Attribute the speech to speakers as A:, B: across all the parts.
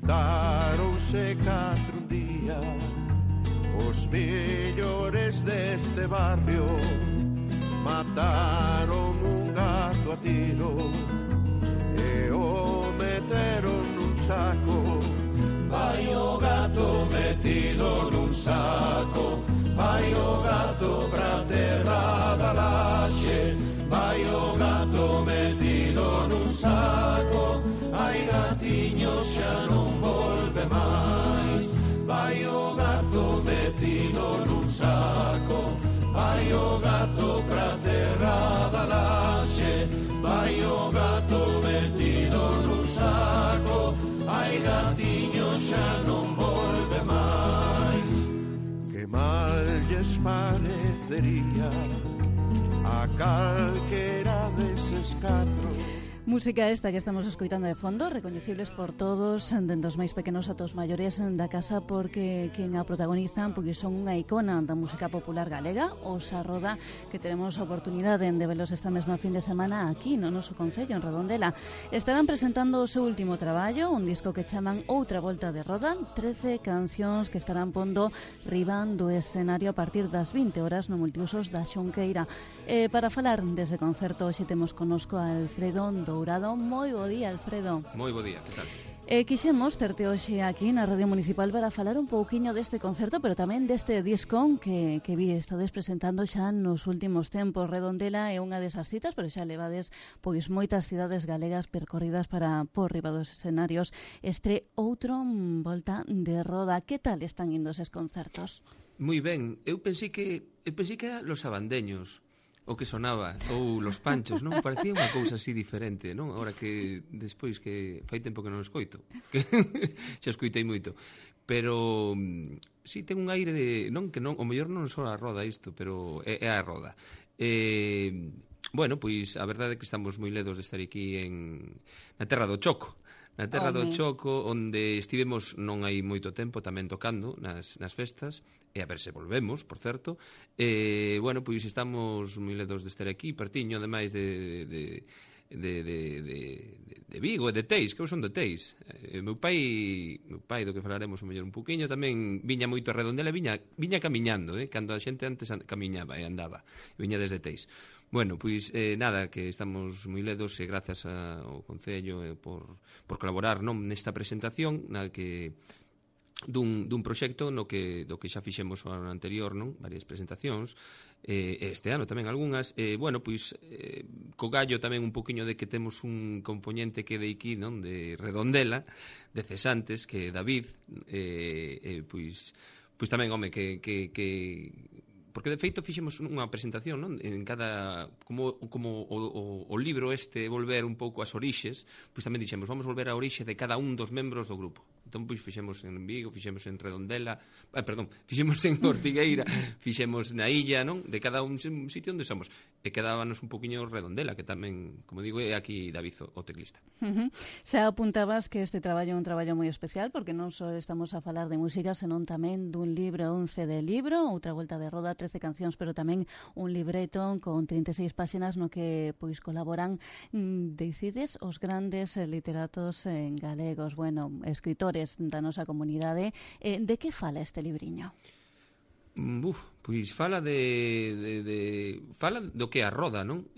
A: Xuntáronse 4 un día os mellores deste barrio, mataron un gato a tiro e o meteron nun saco. Vai o gato metido nun saco, vai o gato pra terra da laxe, vai o gato metido nun saco, ai gatiño xa non volve máis. Vai o gato metido nun saco, vai o gato pra terra da laxe, vai o gato metido nun saco, ai gatiño xa non volve máis. Que mal lles parecería a calquera deses 4.
B: Música esta que estamos escoitando de fondo, recoñecibles por todos, dende os máis pequenos ata os maiores da casa, porque quen a protagonizan porque son unha icona da música popular galega, os Arroda, que teremos a oportunidade de velos esta mesma fin de semana aquí no noso concello, en Redondela. Estarán presentando o seu último traballo, un disco que chaman Outra Volta de Roda, 13 cancións que estarán pondo riba do escenario a partir das 20 horas no Multiusos da Xunqueira. Para falar dese concerto, hoxe temos connosco a Alfredo Dourado. Moi bo día, Alfredo.
C: Moi bo día, que tal?
B: Quixemos terte hoxe aquí na Radio Municipal para falar un pouquiño deste concerto, pero tamén deste disco que vi estades presentando xa nos últimos tempos. Redondela é unha desas citas, pero xa levades pois moitas cidades galegas percorridas para por riba dos escenarios. Outra Volta de Roda. Que tal están indo eses concertos?
C: Moi ben. Eu pensei que eran Los Abandeños o que sonaba, ou Los Panchos, non? Parecía unha cousa así diferente, non? Ahora que despois que fai tempo que non escoito, que xa escoitei moito. Pero si ten un aire de, non, que non, o mellor non só a Roda isto, pero é a Roda. Bueno, pois a verdade é que estamos moi ledos de estar aquí na terra do Choco. Na terra do Choco, onde estivemos non hai moito tempo tamén tocando nas festas, e a ver se volvemos, por certo. Bueno, pois estamos moi ledos de estar aquí, pertiño, ademais de Vigo e de Teis, que eu son de Teis. Meu pai, do que falaremos o mellor un poquinho, tamén viña moito a Redondela, viña camiñando, cando a xente antes camiñaba e andaba, viña desde Teis. Bueno, pois nada, que estamos moi ledos e grazas ao Concello por colaborar nesta presentación na que dun proxecto do que xa fixemos o ano anterior, non? Varias presentacións, este ano tamén algunhas. Bueno, pois co gallo tamén un poquinho de que temos un componente que de aquí, non? De Redondela, de cesantes, que é David, pois tamén, home, que porque de feito fixemos unha presentación, non? En cada como o libro este volver un pouco ás orixes, pois tamén dixemos, vamos volver á orixe de cada un dos membros do grupo. Entón, pois fixemos en Vigo, fixemos en Redondela, fixemos en Ortigueira, fixemos na illa, non? De cada un sitio onde somos. E quedábanos un poquinho Redondela, que tamén, como digo, é aquí David, o teclista.
B: Xa apuntabas que este traballo é un traballo moi especial, porque non só estamos a falar de música, senón tamén dun libro, un CD libro, Outra Volta de Roda, 13 cancións, pero tamén un libreto con 36 páxinas no que pois colaboran, decides, os grandes literatos galegos, bueno, escritores da nosa comunidade. De que fala este libriño?
C: Pois fala fala do que é a Roda, non?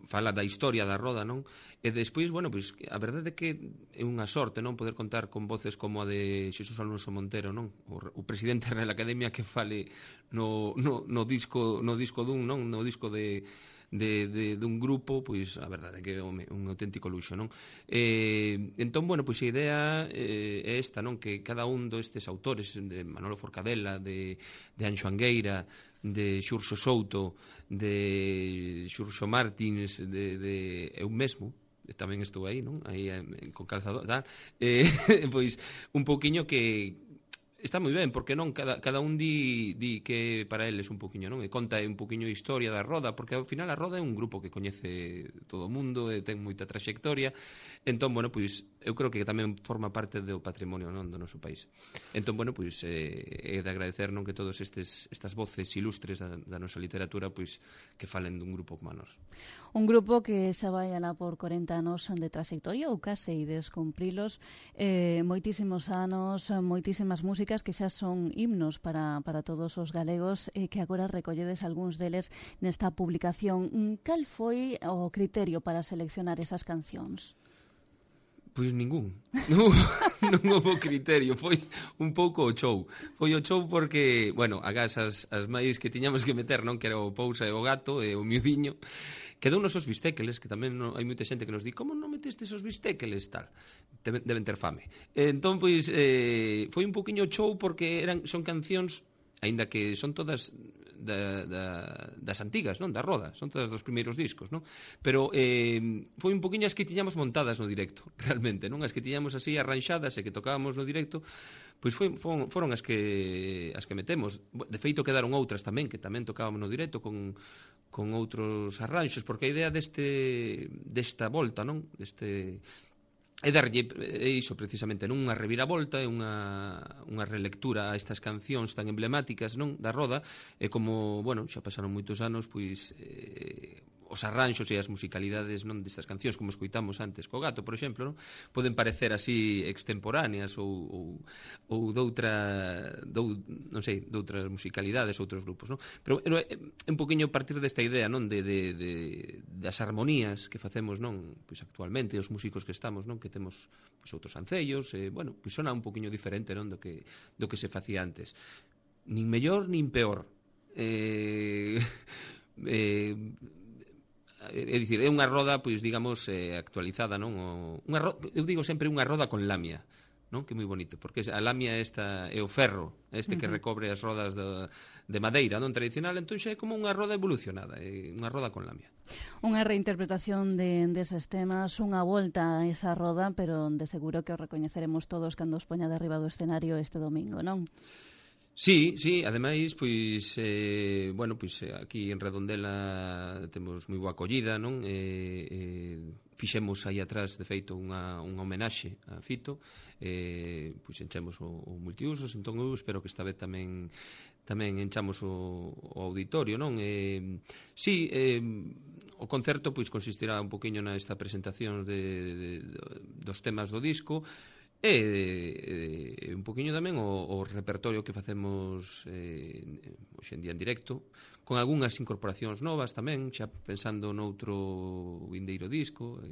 C: Fala da historia da Roda, non? E despois, bueno, pois a verdade é que é unha sorte, non, poder contar con voces como a de Xesús Alonso Montero, non? O presidente da Real Academia, que fale no disco dun, non? No disco dun grupo, pois a verdade é que é un auténtico luxo, non? Entón, bueno, pois a idea é esta, non? Que cada un destes autores, de Manolo Forcadela, de Anxo Angueira, de Xurxo Souto, de Xurxo Martins, de eu mesmo, tamén estou aí, non? Aí con calzador, tal. Pois un pouquiño que está moi ben, porque non cada un di que para eles un poquinho, non? E conta un poquinho a historia da Roda, porque ao final a Roda é un grupo que coñece todo o mundo e ten moita traxectoria. Entón, bueno, pois eu creo que tamén forma parte do patrimonio, non, do noso país. Entón, bueno, pois é de agradecer, non, que todos estas voces ilustres da nosa literatura, pois que falen dun grupo como a nós.
B: Un grupo que xa vai alá por 40 anos de trayectoria ou case ides cumprilos, moitísimos anos, moitísimas músicas que xa son himnos para todos os galegos e que agora recolledes algúns deles nesta publicación. Cal foi o criterio para seleccionar esas cancións?
C: Pois ningún. Non houve criterio, foi un pouco o show. Foi o show porque, bueno, agás as máis que tiñamos que meter, non, que era o Pousa e o Gato e o Miudiño, quedounos os bistéqueles, que tamén hai moita xente que nos di, como non metestes os bistéqueles, tal? Deben ter fame. Entón, pois, foi un poquinho show porque son cancións, aínda que son todas das antigas, non? Da Roda, son todas dos primeiros discos, non? Pero foi un poquinho as que tiñamos montadas no directo, realmente, non? As que tiñamos así arranxadas e que tocábamos no directo, pois foron as que metemos. De feito quedaron outras tamén, que tamén tocábamos no directo con outros arranxos, porque a idea desta volta, non? É darlle iso precisamente, non unha reviravolta, é unha relectura a estas cancións tan emblemáticas, non, da Roda, e como, bueno, xa pasaron moitos anos, pois os arranxos e as musicalidades, non, destas cancións, como escoitamos antes co Gato, por exemplo, non, poden parecer así extemporáneas ou doutras musicalidades, outros grupos, non? Pero é un poquinho partir desta idea, non, das armonías que facemos, non, pois actualmente, os músicos que estamos, non, que temos pois outros ancellos, bueno, pois sona un poquinho diferente, non, do que se facía antes. Nin mellor nin peor. É dicir, é unha roda, pois, digamos, actualizada, non? Eu digo sempre unha roda con lamia, non? Que é moi bonito, porque a lamia é o ferro, que recobre as rodas de madeira, non tradicional, entón xa é como unha roda evolucionada, unha roda con lamia.
B: Unha reinterpretación deses temas, unha volta a esa roda, pero de seguro que os recoñeceremos todos cando os poña de arriba do escenario este domingo, non?
C: Sí, ademais, pois, bueno, pois aquí en Redondela temos moi boa acollida, non? Fixemos aí atrás, de feito, unha homenaxe a Fito, pois enchemos o multiusos, entón eu espero que esta vez tamén enchamos o auditorio, non? Sí, o concerto pois consistirá un poquinho nesta presentación dos temas do disco, e un poquinho tamén o repertorio que facemos hoxe en día en directo, con algunhas incorporacións novas tamén, xa pensando noutro vindeiro disco,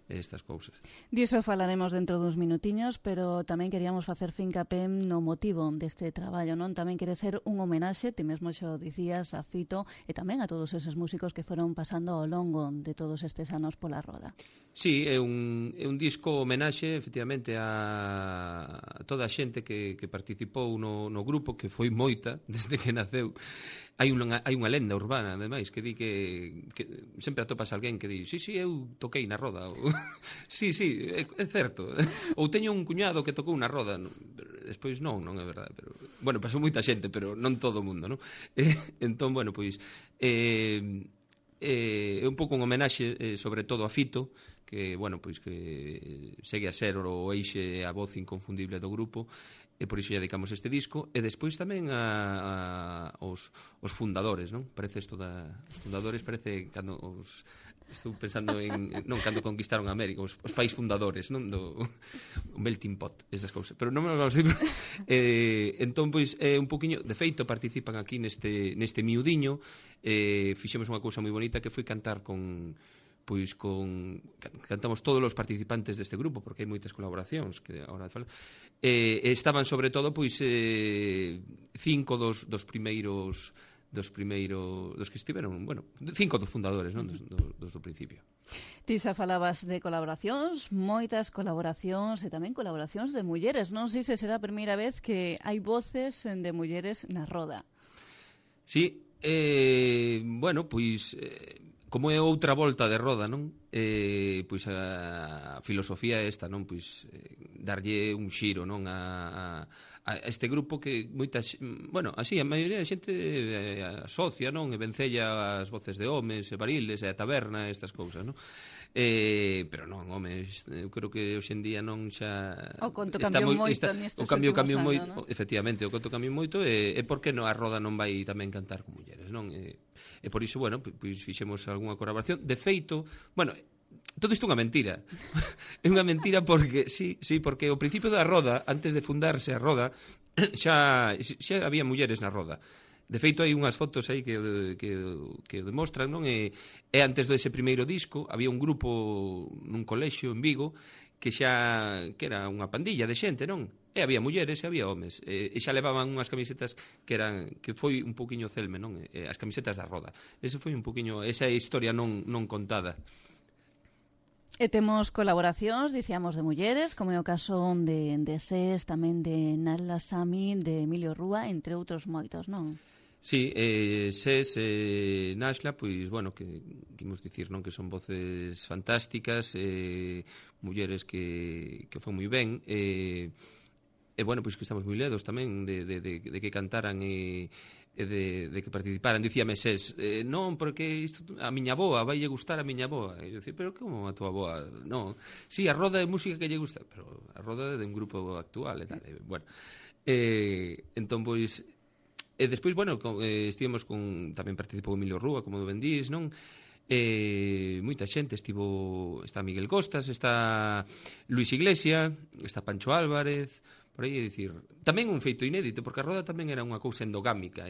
C: estas cousas.
B: Diso falaremos dentro duns minutiños, pero tamén queríamos facer fincapé no motivo deste traballo, non? Tamén quere ser un homenaxe, ti mesmo xo dicías, a Fito e tamén a todos eses músicos que foron pasando ao longo de todos estes anos pola Roda.
C: Sí, é un disco homenaxe, efectivamente, a toda a xente que participou no grupo, que foi moita desde que naceu. Hai unha lenda urbana, ademais, que di que sempre atopas alguén que di sí, eu toquei na Roda. Sí, é certo. Ou teño un cuñado que tocou na Roda. Despois non é verdade. Pero, bueno, pasou moita xente, pero non todo o mundo, non? Entón, bueno, pois é un pouco un homenaxe sobre todo a Fito, que, bueno, pois que segue a ser o eixe, a voz inconfundible do grupo, e por iso lle dedicamos este disco, e despois tamén aos fundadores, non? Parece isto os fundadores, parece cando estou pensando non, cando conquistaron a América, os pais fundadores, non? Do melting pot, esas cousas, pero non me lo sei. Entón, pois, un poquinho, de feito, participan aquí neste Miudiño, fixemos unha cousa moi bonita que foi cantar cantamos todos os participantes deste grupo, porque hai moitas colaboracións que agora falan. Estaban sobre todo 5 dos primeiros dos que estiveron, bueno, 5 dos fundadores, non, dos do principio.
B: Ti xa falabas de colaboracións, moitas colaboracións e tamén colaboracións de mulleres. Non sei se será a primeira vez que hai voces de mulleres na Roda.
C: Sí, bueno, pois como é outra volta de Roda, non? pois a filosofía é esta, non? Pois darlle un xiro, non? A este grupo que moitas, bueno, así a maioría da xente asocia, non? E vencella as voces de homes e variles e a taberna e estas cousas, non? Pero non, home, eu creo que hoxe en día non xa
B: o conto cambiou moito nestes últimos anos, non?
C: Efectivamente, o conto cambiou moito e por que non a Roda non vai tamén cantar con mulleres, non? E por iso, bueno, pois fixemos algunha colaboración. De feito, bueno, todo isto é unha mentira. É unha mentira porque, sí, porque ao principio da Roda, antes de fundarse a Roda, xa había mulleres na Roda. De feito, hai unhas fotos aí que o demostran, non? E antes dese primeiro disco, había un grupo nun colexio en Vigo que era unha pandilla de xente, non? E había mulleres e había homes. E xa levaban unhas camisetas que foi un poquinho celme, non? As camisetas da Roda. Esa foi un poquinho, esa historia non contada.
B: E temos colaboracións, dicíamos, de mulleres, como é o caso de SES, tamén de Nala Sami, de Emilio Rúa, entre outros moitos, non?
C: Sí, SES e Naxla, pois, bueno, que imos dicir, non? Que son voces fantásticas, mulleres que fan moi ben, e bueno, pois que estamos moi ledos tamén de que cantaran e de que participaran. Dicíame SES, non, porque isto, a miña avoa, vai lle gustar a miña avoa. E eu dicía, pero como a tua avoa? Non, sí, a Roda de música que lle gusta, pero a Roda de un grupo actual e tal. Bueno, entón, pois, e despois, bueno, estivemos tamén participou Emilio Rúa, como do Bendís, non? Moita xente, está Miguel Costas, está Luis Iglesia, está Pancho Álvarez, por aí, dicir, tamén un feito inédito, porque a Roda tamén era unha cousa endogámica,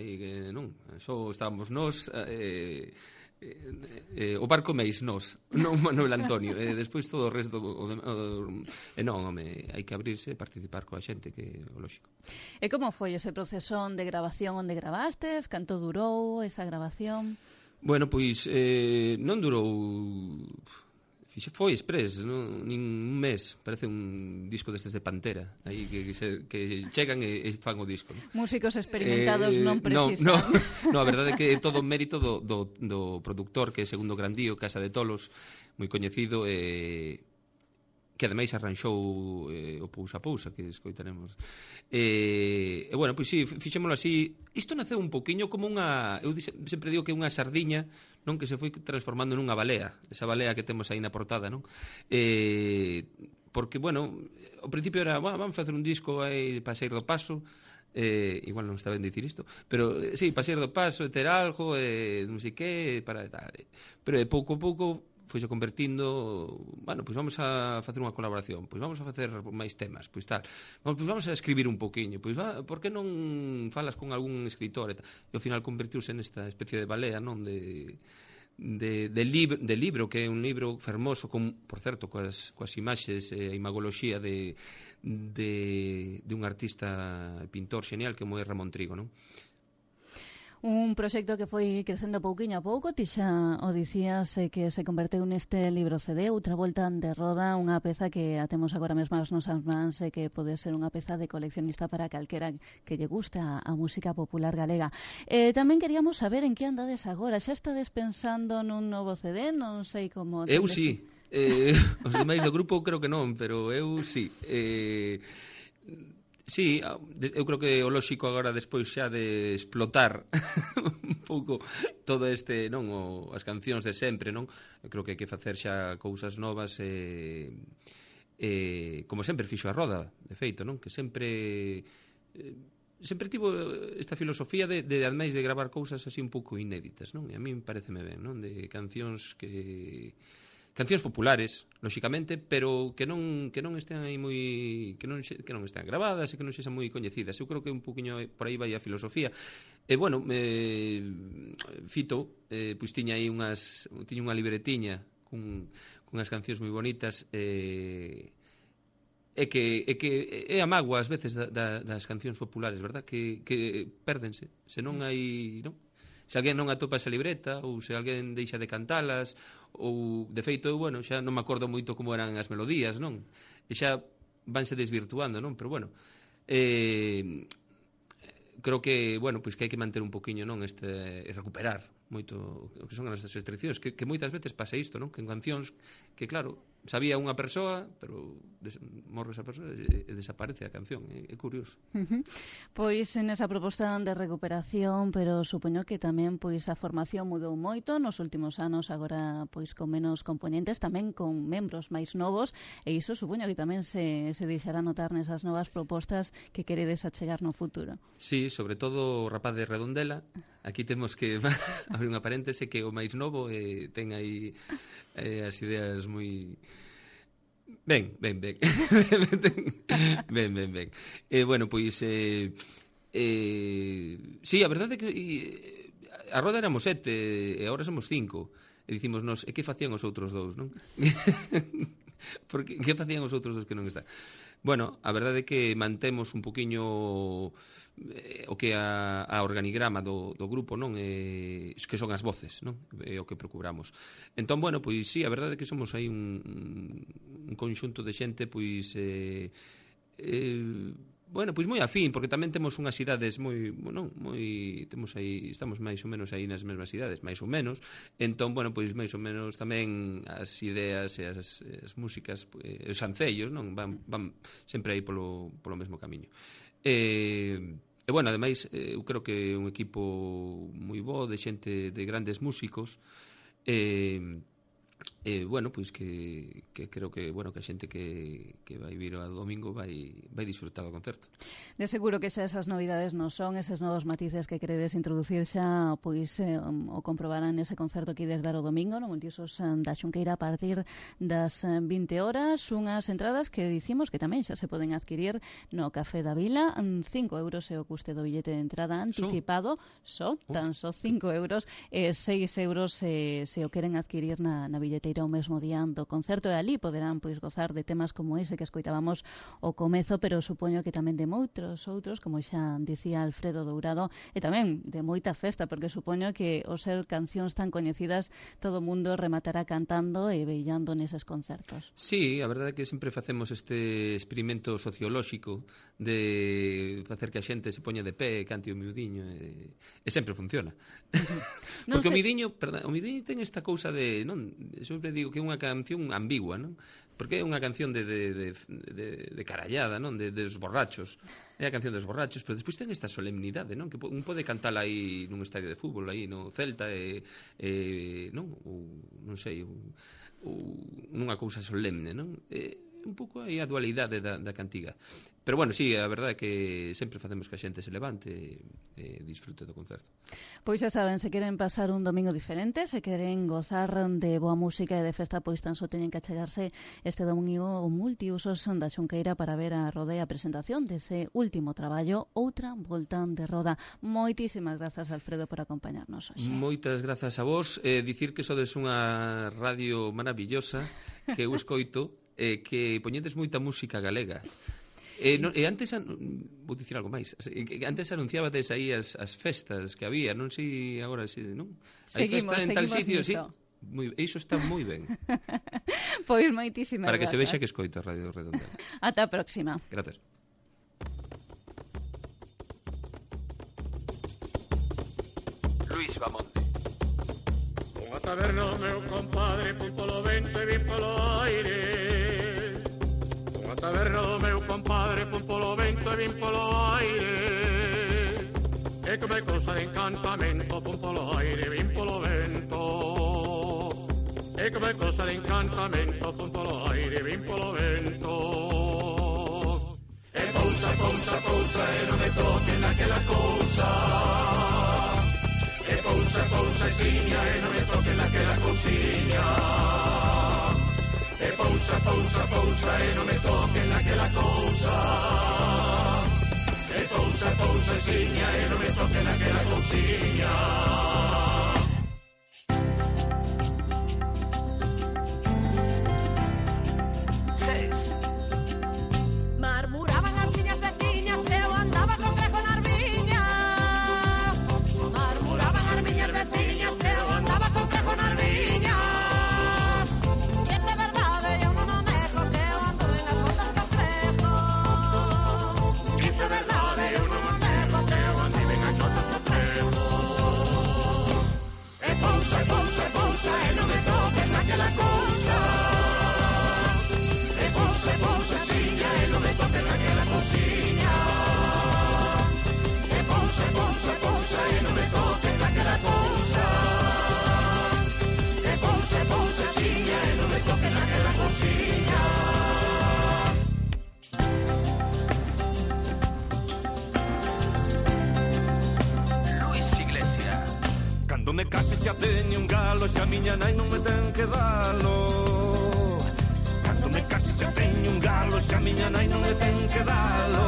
C: non? Só estábamos nós, o barco meis nós, non Manuel Antonio, e despois todo o resto non, home, hai que abrirse e participar coa xente, que é o lógico.
B: E como foi ese proceso de grabación onde grabastes? Canto durou esa grabación?
C: Bueno, pois non durou, foi express, non? Nin un mes, parece un disco destes de Pantera, aí que chegan e fan o disco, non?
B: Músicos experimentados non precisan.
C: No, a verdade é que é todo mérito do produtor, que é Segundo Grandío, Casa de Tolos, moi coñecido, que ademais arranxou o Pousa Pousa, que escoitaremos. E bueno, pois sí, fixémolo así. Isto naceu un poquinho como unha, eu sempre digo que é unha sardiña, non, que se foi transformando nunha balea, esa balea que temos aí na portada, non? Porque, bueno, ao principio era, vamos facer un disco aí para sair do paso, igual non está ben dicir isto, pero sí, para sair do paso, ter algo, non sei que, para tal. Pero pouco a pouco foise convertindo, bueno, pois vamos a facer unha colaboración, pois vamos a facer máis temas, pois tal, pois vamos a escribir un poquinho, pois por que non falas con algún escritor, e ao final convertiuse nesta especie de balea, non, de libro, que é un libro fermoso, por certo, coas imaxes e a imagoloxía de un artista pintor xenial que é Ramón Trigo, non?
B: Un proxecto que foi crecendo pouquiño a pouco, ti xa o dicías, que se converteu neste libro CD, outra volta de Roda, unha peza que a temos agora mesmo as nosas mans e que pode ser unha peza de coleccionista para calquera que lle gusta a música popular galega. Tamén queríamos saber en que andades agora, xa estades pensando nun novo CD, non sei como...
C: Eu sí, os demais do grupo creo que non, pero eu sí. Sí, eu creo que o lóxico agora despois xa de explotar un pouco todo este, non, as cancións de sempre, non? Eu creo que hai que facer xa cousas novas como sempre fixo a Roda, de feito, non? Que sempre tivo esta filosofía de ademais de gravar cousas así un pouco inéditas, non? E a mí pareceme ben, non? De cancións populares, lóxicamente, pero que non estean aí moi que non estean gravadas e que non sexan moi coñecidas. Eu creo que un poquinho por aí vai a filosofía. E bueno, Fito pois tiña aí unha libretiña con unhas cancións moi bonitas e que é a mágoa ás veces das cancións populares, verdad? Que pérdense, se non hai, non? Se alguén non atopa esa libreta ou se alguén deixa de cantalas ou, de feito, bueno, xa non me acordo moito como eran as melodías, non? E xa vanse desvirtuando, non? Pero, bueno, creo que, bueno, pois que hai que manter un poquinho, non, recuperar moito o que son as restriccións, que moitas veces pasa isto, non? Que en cancións que, claro, sabía unha persoa, pero morre esa persoa e desaparece a canción. É curioso.
B: Pois nesa proposta de recuperación, pero supoño que tamén pois a formación mudou moito nos últimos anos, agora pois con menos componentes, tamén con membros máis novos, e iso supoño que tamén se deixará notar nesas novas propostas que queredes achegar no futuro.
C: Sí, sobre todo o rapaz de Redondela. Aquí temos que abrir unha paréntese, que o máis novo ten aí as ideas moi... Ben. Ben. Bueno, pois... sí, a verdade é que a roda éramos 7 e agora somos 5. E dicimos nos, e que facían os outros 2, non? Porque que facían os outros 2 que non están? Bueno, a verdade é que mantemos un poquiño o que a organigrama do grupo, non? Que son as voces, non? O que procuramos. Entón, bueno, pois sí, a verdade é que somos aí un conxunto de xente, pois bueno, pois moi afín, porque tamén temos unhas idades moi, temos aí, estamos máis ou menos aí nas mesmas idades, máis ou menos. Entón, bueno, pois máis ou menos tamén as ideas e as músicas, os ancellos, non, van sempre aí polo mesmo camiño. E bueno, ademais, eu creo que é un equipo moi bo, de xente, de grandes músicos, bueno, pois que creo que, bueno, que a xente que vai vir ao domingo vai disfrutar do concerto.
B: De seguro que xa esas novidades non son, eses novos matices que queredes introducir xa, pois o comprobarán nese concerto que ides dar o domingo no Multiusos da Xunqueira a partir das 20 horas, unhas entradas que dicimos que tamén xa se poden adquirir no Café da Vila, 5 euros é o custe do billete de entrada anticipado, tan só 5 euros, e 6 euros se o queren adquirir na billeteira o mesmo día do concerto, e ali poderán pois gozar de temas como ese que escoitábamos o comezo, pero supoño que tamén de moitos outros, como xa dicía Alfredo Dourado, e tamén de moita festa, porque supoño que ao ser cancións tan coñecidas todo o mundo rematará cantando e veillando neses concertos.
C: Sí, a verdade é que sempre facemos este experimento sociolóxico de facer que a xente se poña de pé e cante o miudiño, e sempre funciona. Porque o miudiño ten esta cousa de, non, sempre digo que é unha canción ambigua, non? Porque é unha canción de carallada, non? Dos borrachos. É a canción dos borrachos, pero despois ten esta solemnidade, non? Que un pode cantala aí nun estadio de fútbol, aí no Celta, non? Ou, non sei, nunha cousa solemne, non? Un pouco aí a dualidade da cantiga. Pero bueno, sí, a verdade é que sempre facemos que a xente se levante e disfrute do concerto.
B: Pois xa saben, se queren pasar un domingo diferente, se queren gozar de boa música e de festa, pois tan só teñen que achegarse este domingo o Multiusos da Xunqueira para ver a roda e a presentación dese último traballo, Outra Volta de Roda. Moitísimas grazas, Alfredo, por acompañarnos hoxe.
C: Moitas grazas a vos. Dicir que sodes unha radio maravillosa, que eu escoito, que poñedes moita música galega. E antes, vou dicir algo máis, antes anunciabades aí as festas que había, non sei agora, non? Hai festa en tal sitio, sí. Iso está moi ben.
B: Pois moitísimas
C: para que
B: grazas.
C: Se vexa que escoito a Radio Redondela.
B: Ata a próxima.
C: Gracias. Luis Bamonte.
A: Unha taberna, meu compadre, pun polo vento e vin polo aire. Unha taberna, meu compadre, pun polo vento e vin polo aire. E come cousa de encantamento, pun polo aire e vin polo vento. E come cousa de encantamento, pun polo aire e vin polo vento. E pousa, pousa, pousa, e non me toque naquela cousa. E pousa, pousa, siña, e non me toque naquela cousiña. E pousa, pousa, pousa, e non me toque naquela cousa. E pousa, pousa, siña, e non me toque naquela cousiña.
D: Marmuraban as miñas veciñas que eu andaba con grejo nas viñas. Marmuraban as miñas veciñas que eu andaba con grejo nas viñas. E se é verdade, eu non o nego que eu ando en as botas do frejo. E se é verdade, eu non o nego que eu ando en as botas do frejo.
E: me case xa teño un galo, xa miña nai non me ten que dalo. Cando me case xa teño un galo, xa miña nai non me ten que dalo.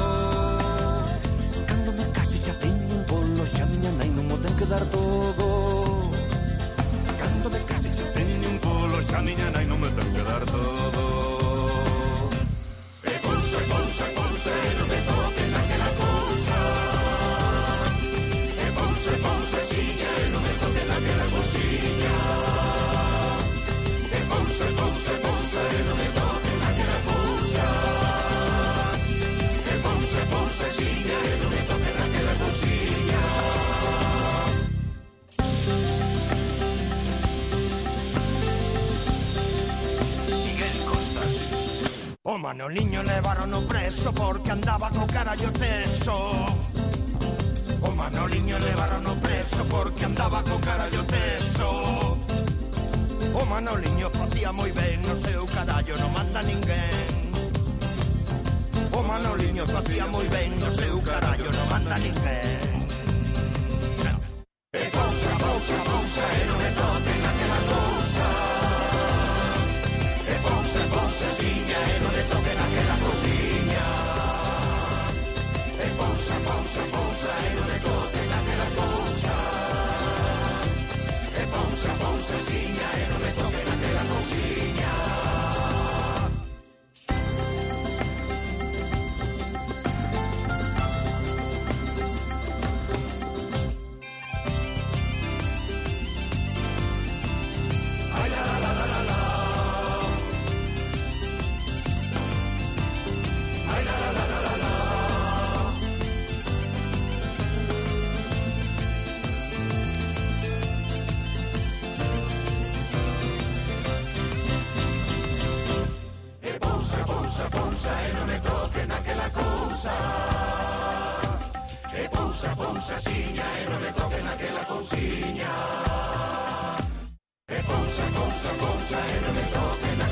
E: Cando me case xa teño un bolo, xa miña nai non me ten que dar todo. Cando me case xa teño un bolo, xa miña nai non me ten que dar todo. E pulsa, pulsa, pulsa, e non me toque naquela cousa. E pulsa, pulsa, siña, e non me toque naquela cousiña. E pulsa, pulsa, pulsa, e non me toque naquela cousa. E pulsa, pulsa, siña, e non me toque naquela cousiña. O Manoliño levaron preso porque andaba co carallo teso. O Manoliño levaron preso porque andaba co carallo teso. O Manoliño facía moi ben, no seu carallo non manda ninguén. O Manoliño facía moi ben, no seu carallo non manda ninguén. E pausa, pausa, pausa, e non me toque naquela cousa. E pausa, pausa, siña, e non me toque naquela cousiña. E pausa, pausa, pausa, e non me toque naquela cousa. E pausa, pausa, siña, e non me toque naquela cousiña. Pousa, siña, e non me toque naquela cousiña. E pousa, pousa, pousa, e non me toque naquela